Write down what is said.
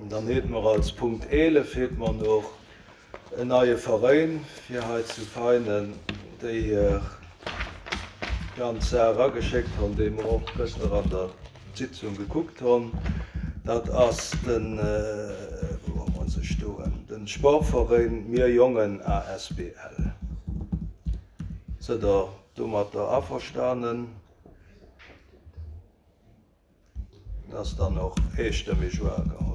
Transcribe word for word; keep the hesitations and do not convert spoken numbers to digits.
Dann heet mer als Punkt eelef heet mer noch en neie Veräin fir hei zu Veinen, déi hir ganz Saach ageschéckt hunn, déi mer och gëschter an der Sitzung gekuckt hunn. Dat ass den, wou hu mer se stoen, den Sportveräin Mir Jongen A S B L. Sidd Der domatter averstanen? Dat ass dann och eestëmmeg ugeholl.